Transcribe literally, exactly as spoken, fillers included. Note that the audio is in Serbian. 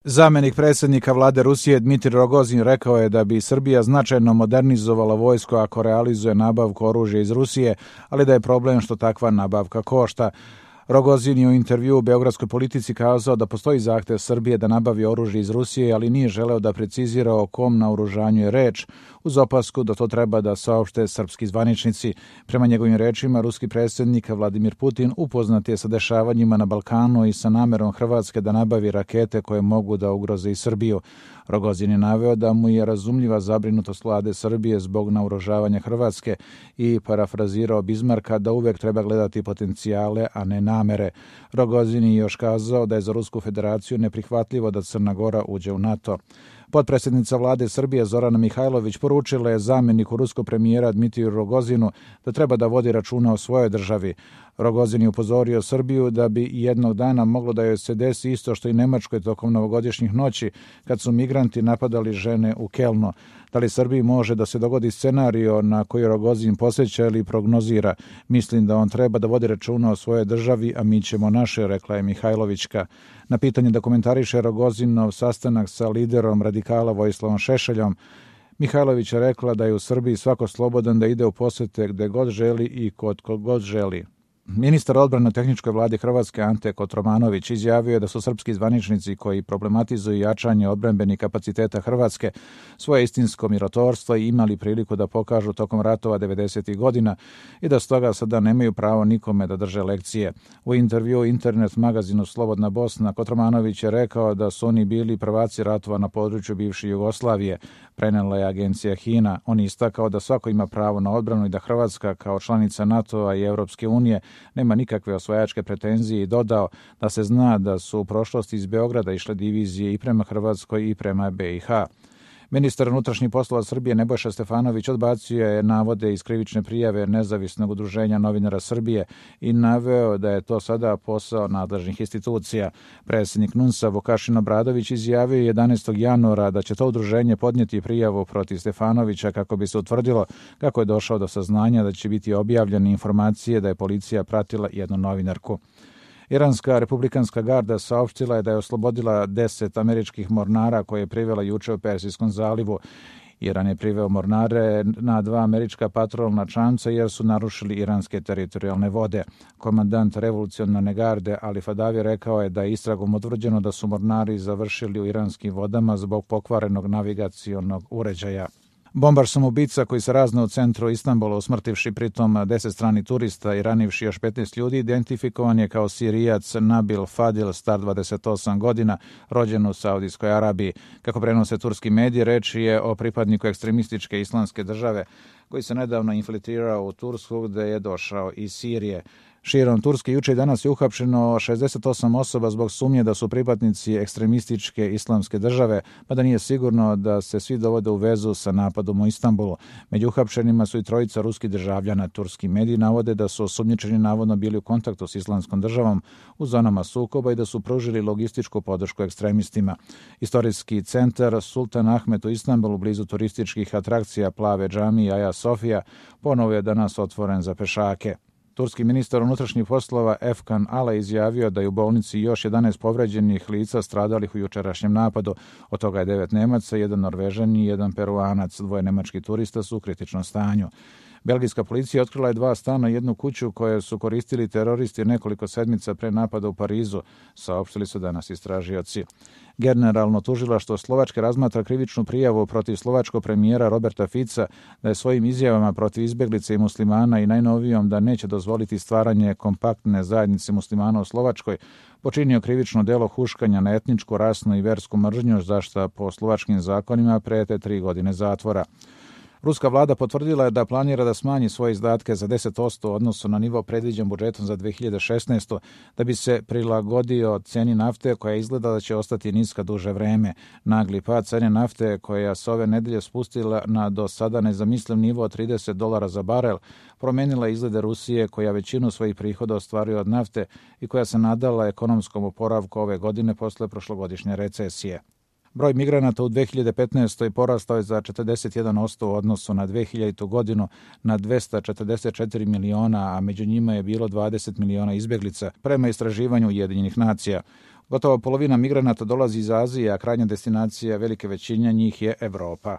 Zamenik predsjednika vlade Rusije Dmitrij Rogozin rekao je da bi Srbija značajno modernizovala vojsku ako realizuje nabavku oružja iz Rusije, ali da je problem što takva nabavka košta. Rogozin je u intervjuu u Beogradskoj politici kazao da postoji zahtev Srbije da nabavi oružje iz Rusije, ali nije želeo da precizira o kom naoružanju je reč, uz opasku da to treba da saopšte srpski zvaničnici. Prema njegovim rečima, ruski predsjednik Vladimir Putin upoznat je sa dešavanjima na Balkanu i sa namerom Hrvatske da nabavi rakete koje mogu da ugroze i Srbiju. Rogozin je naveo da mu je razumljiva zabrinutost vlade Srbije zbog naoružavanja Hrvatske i parafrazirao Bizmarka da uvek treba gledati potencijale, a ne namere. Rogozin je još kazao da je za Rusku federaciju neprihvatljivo da Crna Gora uđe u NATO. Potpredsjednica vlade Srbije Zorana Mihajlović poručila je zamjeniku ruskog premijera Dmitriju Rogozinu da treba da vodi računa o svojoj državi. Rogozin je upozorio Srbiju da bi jednog dana moglo da joj se desi isto što i Nemačkoj tokom novogodišnjih noći kad su migranti napadali žene u Kelnu. Da li Srbiji može da se dogodi scenario na koji Rogozin posjeća ili prognozira? Mislim da on treba da vodi računa o svojoj državi, a mi ćemo naše, rekla je Mihajlovićka. Na pitanje da komentariše Rogozinov sastanak sa liderom radikala Vojislavom Šešeljom, Mihajlović je rekla da je u Srbiji svako slobodan da ide u posete gde god želi i kod kog god želi. Ministar odbrane u tehničkoj vladi Hrvatske Ante Kotromanović izjavio je da su srpski zvaničnici koji problematizuju jačanje odbrambenih kapaciteta Hrvatske svoje istinsko mirotvorstvo i imali priliku da pokažu tokom ratova devedesetih godina i da stoga sada nemaju pravo nikome da drže lekcije. U intervjuu internet magazinu Slobodna Bosna Kotromanović je rekao da su oni bili prvaci ratova na području bivše Jugoslavije, prenela je agencija HINA. On je istakao da svako ima pravo na odbranu i da Hrvatska kao članica NATO-a i Europske unije nema nikakve osvajačke pretenzije i dodao da se zna da su u prošlosti iz Beograda išle divizije i prema Hrvatskoj i prema be i ha. Ministar unutrašnjih poslova Srbije Nebojša Stefanović odbacio je navode iz krivične prijave Nezavisnog udruženja novinara Srbije i naveo da je to sada posao nadležnih institucija. Predsjednik NUNS-a Vukašin Obradović izjavio jedanaestog januara da će to udruženje podnijeti prijavu protiv Stefanovića kako bi se utvrdilo kako je došao do saznanja da će biti objavljene informacije da je policija pratila jednu novinarku. Iranska republikanska garda saopštila je da je oslobodila deset američkih mornara koje je privela juče u Persijskom zalivu. Iran je priveo mornare na dva američka patrolna čamca jer su narušili iranske teritorijalne vode. Komandant revolucionarne garde Ali Fadavi rekao je da je istragom utvrđeno da su mornari završili u iranskim vodama zbog pokvarenog navigacionog uređaja. Bombar samoubica koji se raznao u centru Istanbula usmrtivši pritom deset stranih turista i ranivši još petnaest ljudi, identifikovan je kao Sirijac Nabil Fadil, star dvadeset osam godina, rođen u Saudijskoj Arabiji. Kako prenose turski mediji, reč je o pripadniku ekstremističke islamske države koji se nedavno infiltrirao u Tursku gde je došao iz Sirije. Širom Turske juče i danas je uhapšeno šezdeset osam osoba zbog sumnje da su pripadnici ekstremističke islamske države, pa da nije sigurno da se svi dovode u vezu sa napadom u Istanbulu. Među uhapšenima su i trojica ruskih državljana. Turski mediji navode da su osumnjičeni navodno bili u kontaktu s islamskom državom u zonama sukoba i da su pružili logističku podršku ekstremistima. Istorijski centar Sultan Ahmet u Istanbulu, blizu turističkih atrakcija Plave džamije i Aja Sofija, ponovo je danas otvoren za pešake. Turski ministar unutrašnjih poslova Efkan Ala izjavio da je u bolnici još jedanaest povređenih lica stradalih u jučerašnjem napadu. Od toga je devet Nemaca, jedan Norvežan i jedan Peruanac. Dvoje nemačkih turista su u kritičnom stanju. Belgijska policija otkrila je dva stana i jednu kuću koje su koristili teroristi nekoliko sedmica pre napada u Parizu, saopštili su danas istražioci. Generalno tužilaštvo Slovačke razmatra krivičnu prijavu protiv slovačkog premijera Roberta Fica da je svojim izjavama protiv izbeglice i muslimana i najnovijom da neće dozvoliti stvaranje kompaktne zajednice muslimana u Slovačkoj počinio krivično delo huškanja na etničku, rasnu i versku mržnju, za šta po slovačkim zakonima prete tri godine zatvora. Ruska vlada potvrdila je da planira da smanji svoje izdatke za deset posto u odnosu na nivo predviđen budžetom za dve hiljade šesnaestu. da bi se prilagodio ceni nafte koja izgleda da će ostati niska duže vreme. Nagli pad cene nafte koja se ove nedelje spustila na do sada nezamisliv nivo od trideset dolara za barel promenila izglede Rusije koja većinu svojih prihoda ostvaruje od nafte i koja se nadala ekonomskom oporavku ove godine posle prošlogodišnje recesije. Broj migranata u dve hiljade petnaestoj porastao je za četrdeset jedan posto u odnosu na dve hiljadu godinu na dvesta četrdeset četiri miliona, a među njima je bilo dvadeset miliona izbeglica, prema istraživanju Ujedinjenih nacija. Gotovo polovina migranata dolazi iz Azije, a krajnja destinacija velike većine njih je Evropa.